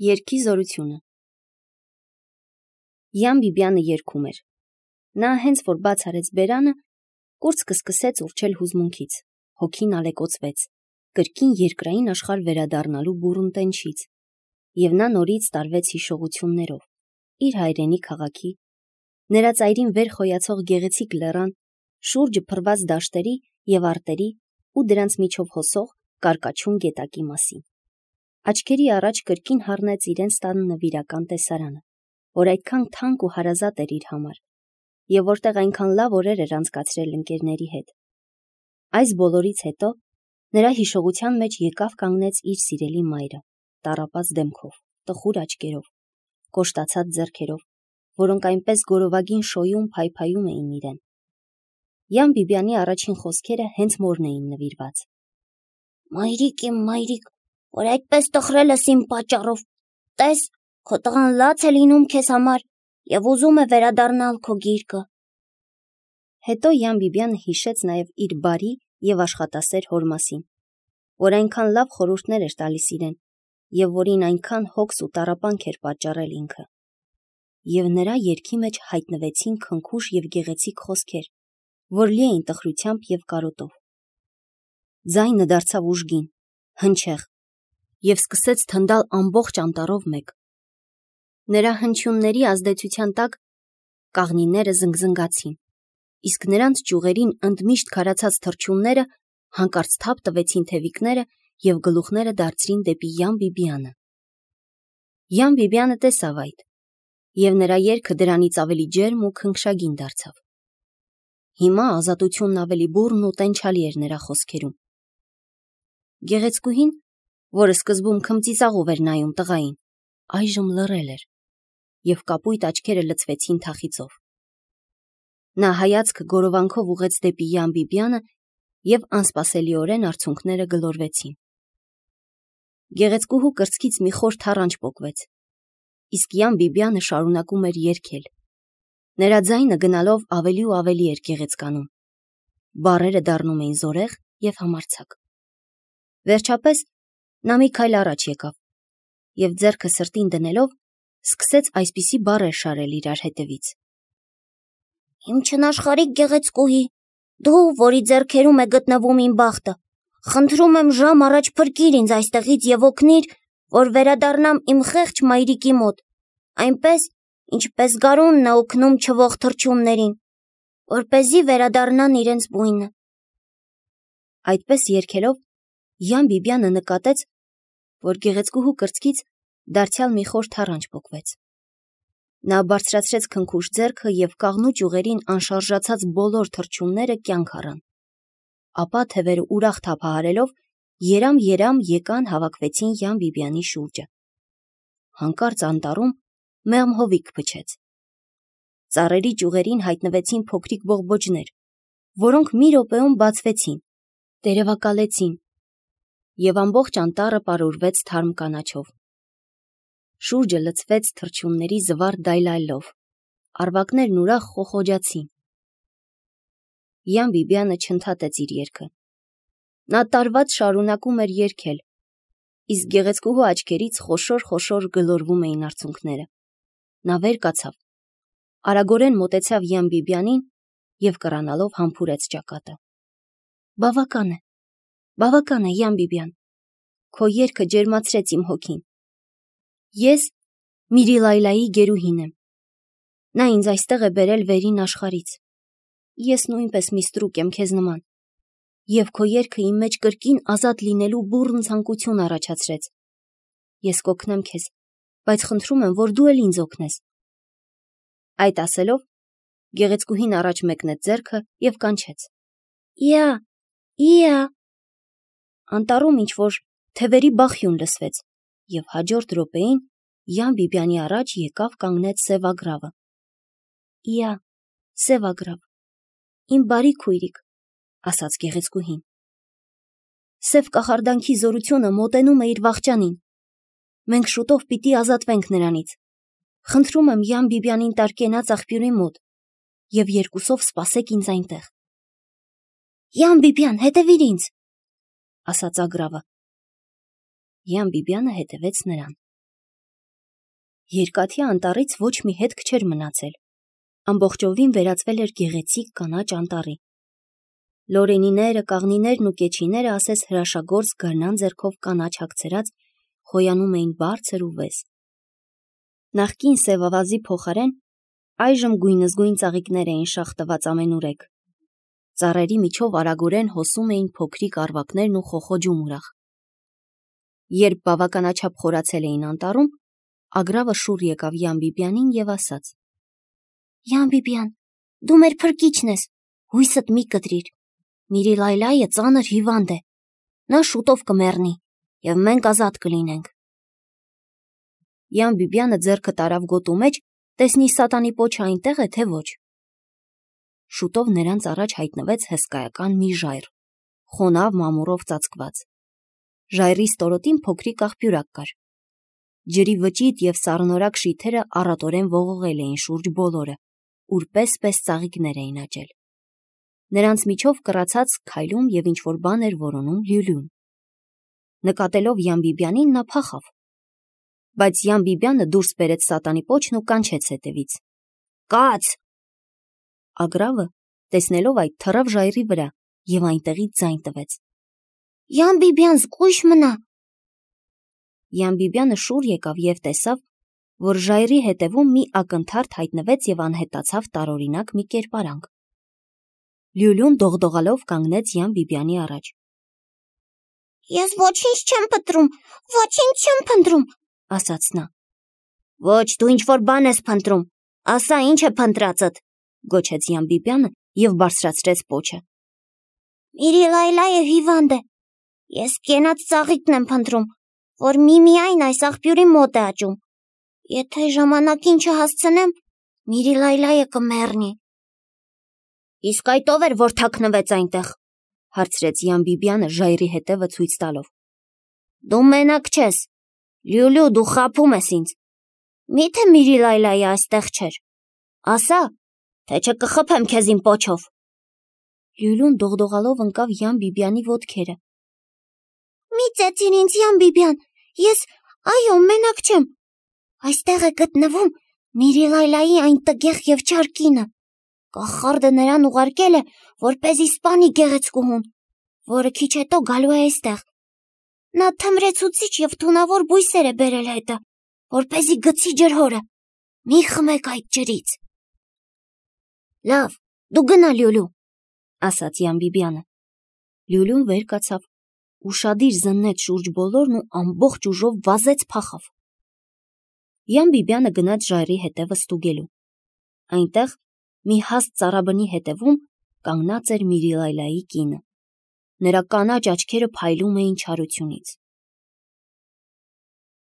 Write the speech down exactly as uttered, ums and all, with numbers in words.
Երգի զորությունը Յան Բիբյանը երգում էր։ Նա հենց որ բաց արեց բերանը, կուրծքը սկսեց ուռչել հուզմունքից, հոգին ալեկոծվեց, կրկին երկրային աշխարհ վերադառնալու բուռն տենչից, եւ նա նորից տարվեց հիշողություններով, իր հայրենի քաղաքի, նրա ծայրին վեր խոյացող գեղեցիկ լեռան, շուրջը փռված դաշտերի եւ արտերի ու դրանց միջով հոսող կարկաչուն գետակի մասին։ Աչքերի առաջ կրկին հառնեց իրենց տան նվիրական տեսարանը, որ այդքան թանկ ու հարազատ էր իր համար, եւ որտեղ այնքան լավ օրեր էր անցկացրել ընկերների հետ։ Այս բոլորից հետո նրա հիշողության մեջ եկավ կանգնեց իր սիրելի մայրը, տառապած դեմքով, տխուր աչքերով, կոշտացած ձեռքերով, որոնք այնպես գորովագին շոյում փայփայում էին իրեն։ Յան Բիբյանի առաջին խոսքերը հենց մորն էին նվիրված։ Մայրիկ իմ մայրիկ, որ այդպես տխրել ես իմ պատճառով, տես, քո տղան լաց է լինում քեզ համար եւ ուզում է վերադառնալ քո գիրկը։ Հետո Յան Բիբյանը հիշեց նաեւ իր բարի եւ աշխատասեր հոր մասին, որ այնքան լավ խորհուրդներ էր տալիս իրեն եւ որին այնքան հոգս ու տառապանք էր պատճառել ինքը։ Եվ նրա երգի մեջ հայտնվեցին քնքուշ եւ գեղեցիկ խոսքեր, որ լի էին տխրությամբ եւ կարոտով։ Ձայնը դարձավ ուժգին, հնչեղ եւ սկսեց թնդալ ամբողջ անտառով մեկ։ Նրա հնչյունների ազդեցության տակ կաղնիները զնգզնգացին, իսկ նրանց ճյուղերին ընդմիշտ քարացած թռչունները հանկարծ թափ տվեցին թևիկները եւ գլուխները դարձրին դեպի Յան Բիբյանը։ Յան Բիբյանը տեսավ այդ, եւ նրա երգը դրանից ավելի ջերմ ու քնքշագին դարձավ։ Հիմա ազատությունն ավելի բուռն ու տենչալի էր նրա խոսքերում։ Գեղեցկուհին, որը սկզբում քմծիծաղով էր նայում տղային, այժմ լռել էր, եւ կապույտ աչքերը լցվեցին թախիծով։ Նա հայացքը գորովանքով ուղեց դեպի Յան Բիբյանը եւ անսպասելիորեն արցունքները գլորվեցին։ Գեղեցկուհու կրծքից մի խոր թառանչ պոկվեց, իսկ Յան Բիբյանը շարունակում էր երգել։ Նրա ձայնը գնալով ավելի ու ավելի էր գեղեցկանում։ Բառերը դառնում էին զորեղ եւ համարձակ։ Վերջապես նա մի քայլ առաջ եկավ եւ ձեռքը սրտին դնելով սկսեց այսպիսի բառեր շարել իրար հետևից. Իմ չնաշխարհիկ գեղեցկուհի, դու, որի ձեռքերում է գտնվում իմ բախտը, խնդրում եմ ժամ առաջ փրկիր ինձ այստեղից եւ օգնիր, որ վերադառնամ իմ խեղճ մայրիկի մոտ, այնպես, ինչպես գարունն է օգնում չվող թռչուններին, որպեսզի վերադառնան իրենց բույնը։ Այդպես երգելով Յան Բիբյանը նկատեց, որ գեղեցկուհու կրծքից դարձյալ մի խոր թառանչ պոկվեց։ Նա բարձրացրեց քնքուշ ձեռքը եւ կաղնու ճյուղերին անշարժացած բոլոր թռչունները կյանք առան։ Ապա թևերը ուրախ թափահարելով երամ-երամ եկան հավաքվեցին Յան Բիբյանի շուրջը։ Հանկարծ անտառում մեղմ հովիք փչեց։ Ծառերի ճյուղերին հայտնվեցին փոքրիկ բողբոջներ, որոնք մի րոպեում բացվեցին, տերևակալեցին, եւ ամբողջ անտառը պարուրվեց թարմ կանաչով։ Շուրջը լցվեց թռչունների զվարթ դայլայլով, արվակներն ուրախ խոխոջացին։ Յան Բիբյանը չընդհատեց իր երգը։ Նա տարված շարունակում էր երգել, իսկ գեղեցկուհու աչքերից խոշոր-խոշոր գլորվում էին արցունքները։ Նա վեր կացավ, արագորեն մոտեցավ Յան Բիբյանին եւ կռանալով համբուրեց ճակատը։ Բավական է, բավական է, Յան Բիբյան, քո երգը ջերմացրեց իմ հոգին։ Ես Միրիլայլայի գերուհին եմ։ Նա ինձ այստեղ է բերել վերին աշխարհից։ Ես նույնպես մի ստրուկ եմ քեզ նման։ Եվ քո երգը իմ մեջ կրկին ազատ լինելու բուռն ցանկություն առաջացրեց։ Ես կօգնեմ քեզ, բայց խնդրում եմ, որ դու էլ ինձ օգնես։ Այդ ասելով, գեղեցկուհին առաջ մեկնեց ձեռքը եւ կանչեց. Իա, իա։ Անտառում ինչ որ թևերի բախյուն լսվեց, եւ հաջորդ րոպեին Յան Բիբյանի առաջ եկավ կանգնեց Սևագրավը։ Իա, Սևագրավ, իմ բարի քույրիկ, ասաց գեղեցկուհին։ Սև կախարդանքի զորությունը մոտենում է իր վախճանին։ Մենք շուտով պիտի ազատվենք նրանից։ Խնդրում եմ Յան Բիբյանին տարկենաց աղբյուրի մոտ եւ երկուսով սպասեք ինձ այնտեղ։ Յան Բիբյան, հետևիր ինձ, ասաց Ագրավը։ Յան Բիբյանը հետևեց նրան։ Երկաթի անտառից ոչ մի հետք չէր մնացել։ Ամբողջովին վերածվել էր գեղեցիկ կանաչ անտառի։ Լորենիները, կաղնիներն ու կեչիները ասես հրաշագործ գարնան ձեռքով կանաչ հագցրած խոյանում էին բարձր ու վես։ Նախկին սևավազի փոխարեն այժմ գույնզգույն ծաղիկներ էին շաղտված ամենուրեք։ Ծառերի միջով արագորեն հոսում էին փոքրիկ առվակներն ու խոխոջում ուրախ։ Երբ բավականաչափ խորացել էին անտառում, Ագրավը շուռ եկավ Յան Բիբյանին եւ ասաց. Յան Բիբյան, դու մեր փրկիչն ես, հույսդ մի կտրիր։ Միրի Լայլայը ծանր հիվանդ է։ Նա շուտով կմեռնի եւ մենք ազատ կլինենք։ Յան Բիբյանը ձեռքը տարավ գոտու մեջ, տեսնի սատանի պոչը այնտեղ է, թե ոչ։ Շուտով նրանց առաջ հայտնվեց հսկայական մի ժայռ, խոնավ մամուռով ծածկված։ Ժայռի ստորոտին փոքրիկ աղբյուրակ կար։ Ջրի վճիտ եւ սառնորակ շիթերը առատորեն ողողել էին շուրջ բոլորը, ուր պես-պես ծաղիկներ էին աճել։ Նրանց միջով կռացած քայլում եւ ինչ-որ բան էր որոնում Լյուլյուն։ Նկատելով Յան Բիբյանին նա փախավ։ Բայց Յան Բիբյանը դուրս բերեց սատանի պոչն ու կանչեց հետևից. Կաց! Ագրավը, տեսնելով այդ, թռավ ժայռի վրա եւ այնտեղից ձայն տվեց. Յան Բիբյան, զգույշ մնա։ Յան Բիբյանը շուռ եկավ եւ տեսավ, որ ժայռի հետևում մի ակնթարթ հայտնվեց եւ անհետացավ տարօրինակ մի կերպարանք։ Լյուլյուն դողդողալով կանգնեց Յան Բիբյանի առաջ։ Ես ոչինչ չեմ փնտրում, ոչինչ չեմ փնտրում, ասաց նա։ Ոչ, դու ինչ-որ բան ես փնտրում, ասա ինչ է փնտրածդ, գոչեց Յան Բիբյանը եւ բարձրացրեց պոչը։ Միրի Լայլայը հիվանդ է։ Ես կենաց ծաղիկն եմ փնտրում, որ միմիայն այս աղբյուրի մոտ է աճում։ Եթե ժամանակին չհասցնեմ, Միրի Լայլայը կմեռնի։ Իսկ այդ ով էր, որ թաքնվեց այնտեղ, հարցրեց Յան Բիբյանը ժայռի հետևը ցույց տալով։ Դու մենակ չես, Լյուլյու, դու խաբում ես ինձ։ Միթե Միրի Լայլայը այստեղ չէր։ Ասա, թե չկխփեմ քեզ իմ պոչով։ Լյուլյուն դողդողալով ընկավ Յան Բիբյանի ոտքերը։ Մի ծեծիր ինձ, Յան Բիբյան, ես, այո, մենակ չեմ։ Այստեղ է գտնվում Միրի Լայլայի այն տգեղ եւ չար կինը։ Կախարդը նրան ուղարկել է, որպեսզի սպանի գեղեցկուհուն, որը քիչ հետո գալու է այստեղ։ Նա թմրեցուցիչ եւ թունավոր բույսեր է բերել հետը, որպեսզի գցի ջրհորը։ Մի խմեք այդ ջրից։ Լավ, դու գնա, Լյուլյու, ասաց Յան Բիբյանը։ Լյուլյուն վեր կացավ, ուշադիր զննեց շուրջ բոլորն ու ամբողջ ուժով վազեց փախավ։ Յան Բիբյանը գնաց ժայռի հետևը ստուգելու։ Այնտեղ մի հաստ ծառաբնի հետևում կանգնած էր Միրի Լայլայի կինը։ Նրա կանաչ աչքերը փայլում էին չարությունից։